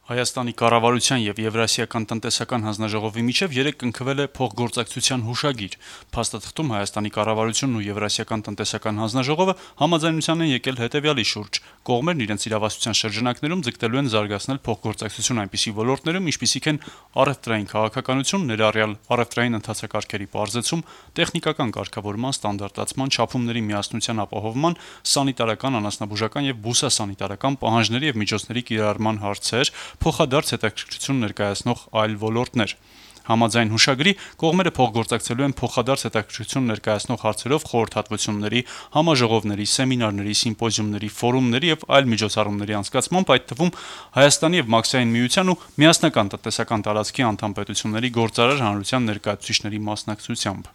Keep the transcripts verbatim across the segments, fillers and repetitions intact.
Հայաստանի կառավարության եւ Եվրասիական տնտեսական հանձնաժողովի միջև երեկ կնքվել է փոխգործակցության հուշագիր։ Փաստաթղթում Հայաստանի կառավարությունն ու Եվրասիական տնտեսական հանձնաժողովը համաձայնության են եկել հետեւյալի շուրջ. կողմերն իրենց իրավասության շրջանակներում ձգտելու են զարգացնել փոխգործակցություն այնպիսի ոլորտներում, ինչպիսիք են առևտրային քաղաքականություն, ներառյալ առևտրային ընթացակարգերի պարզեցում, տեխնիկական կարգավորման, ստանդարտացման, չափումների միասնության ապահովման, սանիտարական, անասնաբուժական եւ բուսասանիտարական պահանջների եւ միջոցների կիրառման հարցեր, փոխադարձ հետաքրքրություն ներկայացնող այլ ոլորտներ։ Համաձայն հուշագրի կողմերը փոխգործակցելու են փոխադարձ հետաքրքրություն ներկայացնող հարցերով խորհրդատվությունների, համաժողովների, սեմինարների, սիմպոզիումների, ֆորումների եւ այլ միջոցառումների անցկացմամբ, այդ թվում Հայաստանի եւ Մաքսային միության ու միասնական տնտեսական տարածքի անդամ պետությունների գործարար հանրության ներկայացուցիչների մասնակցությամբ։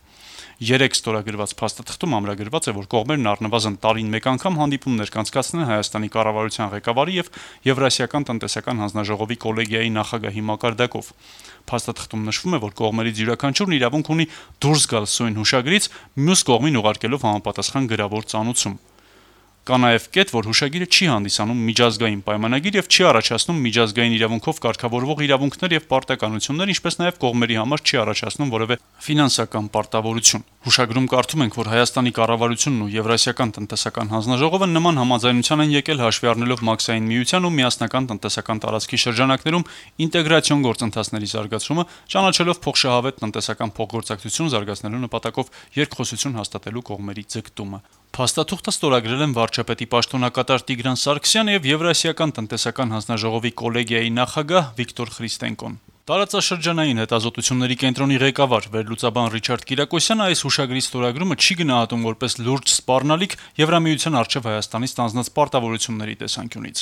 Երեք ստորագրված փաստաթղթում ամրագրված է, որ կողմերն առնվազն տարին մեկ անգամ հանդիպումներ կանցկացնեն Հայաստանի կառավարության ղեկավարի եւ Եվրասիական տնտեսական հանձնաժողովի կոլեգիայի նախագահի մակարդակով։ Փաստաթղթում նշվում է, որ կողմերից յուրաքանչյուրն իրավունք ունի դուրս գալ սույն հուշագրից, մյուս կողմին ուղարկելով համապատասխան գրավոր ծանուցում։ Կա նաև կետ, որ հուշագիրը չի հանդիսանում միջազգային պայմանագիր եւ չի առաջացնում միջազգային իրավունքով կարգավորվող իրավունքներ եւ պարտականություններ, ինչպես նաև կողմերի համար չի առաջացնում որևէ ֆինանսական պարտավորություն։ Հուշագրում կարդում ենք, որ Հայաստանի կառավարությունն ու Եվրասիական տնտեսական հանձնաժողովը նման համաձայնության են եկել հաշվի առնելով Մաքսային միության ու միասնական տնտեսական տարածքի շրջանակներում ինտեգրացիոն գործընթացների զարգացումը, ճանաչելով փոխշահավետ տնտեսական փոխգործակցություն զարգացնելու նպատակով երկխոսություն հաստատելու կողմերի ձգտումը։ Փաստաթուղթը ստորագրել են վարչապետի պաշտոնակատար Տիգրան Սարգսյանը եւ Եվրասիական տնտեսական հանձնաժողովի կոլեգիայի նախագահ Վիկտոր Խրիստենկոն։ Տարածաշրջանային հետազոտությունների կենտրոնի ղեկավար վերլուծաբան Ռիչարդ Կիրակոսյանը այս հուշագրի ստորագրումը չի գնահատում որպես լուրջ սպառնալիք Եվրամիության առջև Հայաստանի ստանձնած պարտավորությունների տեսանկյունից։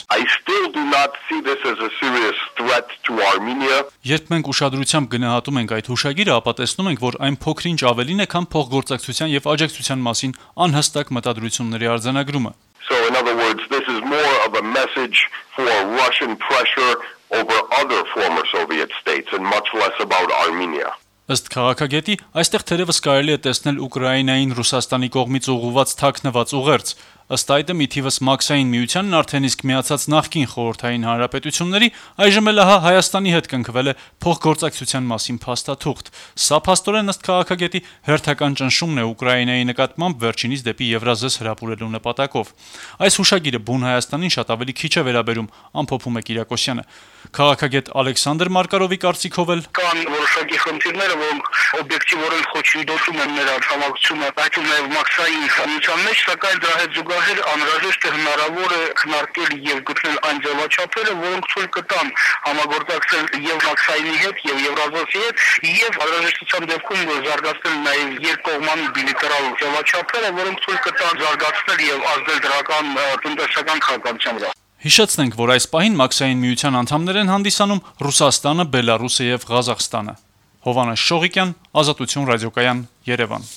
Երբ մենք ուշադրությամբ գնահատում ենք այդ հուշագիրը, ապա տեսնում ենք, որ այն փոքր-ինչ ավելին է, քան փոխգործակցության եւ աջակցության մասին անհստակ մտադրությունների արձանագրումը։ So in other words, this is more of a message for Russian pressure over other former Soviet states and much less about Armenia. Ըստ քաղաքագետի, այստեղ թերևս կարելի է տեսնել Ուկրաինային Ռուսաստանի կողմից ուղղված թաքնված ուղերձ։ Ըստ այդմ ի թիվս Մաքսային միությանն արդեն իսկ միացած նախկին խորհրդային հանրապետությունների, այժմ էլ ահա Հայաստանի հետ կնքվել է փոխգործակցության մասին փաստաթուղթ։ Սա փաստորեն ըստ քաղաքագետի հերթական ճնշումն է Ուկրաինայի նկատմամբ վերջինիս դեպի Եվրազես հրապուրելու նպատակով։ Այս հուշագիրը բուն Հայաստանին շատ ավելի քիչ է վերաբերում, ամփոփում է Կիրակոսյանը։ Քաղաքագետ Ալեքսանդր Մարկարովի կարծիքով էլ կան որոշակի խնդիրներ, որոնք օբյեկտիվորեն խոչընդոտում են մեր արտադրությունը, այդ ու նաև Մաքսային միության մեջ, սակայն դրա հետ զուգահեռ անհրաժեշտ է հնարավոր է քննարկել եւ գտնել այն ձևաչափերը, որոնք ցույց կտան համագործակցել եւ Մաքսայինի հետ եւ Եվրազոսի հետ եւ անհրաժեշտության դեպքում զարգացնել նաեւ երկկողմանի բիլատերալ ձևաչափերը, որոնք ցույց կտան զարգացնել եւ ազդել դրական տնտեսական քաղաքականության վրա։ Հիշեցնենք, որ այս պահին Մաքսային միության անդամներ են հանդիսանում Ռուսաստանը, Բելարուսը եւ Ղազախստանը։ Հովհաննես Շողիկյան, Ազատություն ռադիոկայան, Երևան։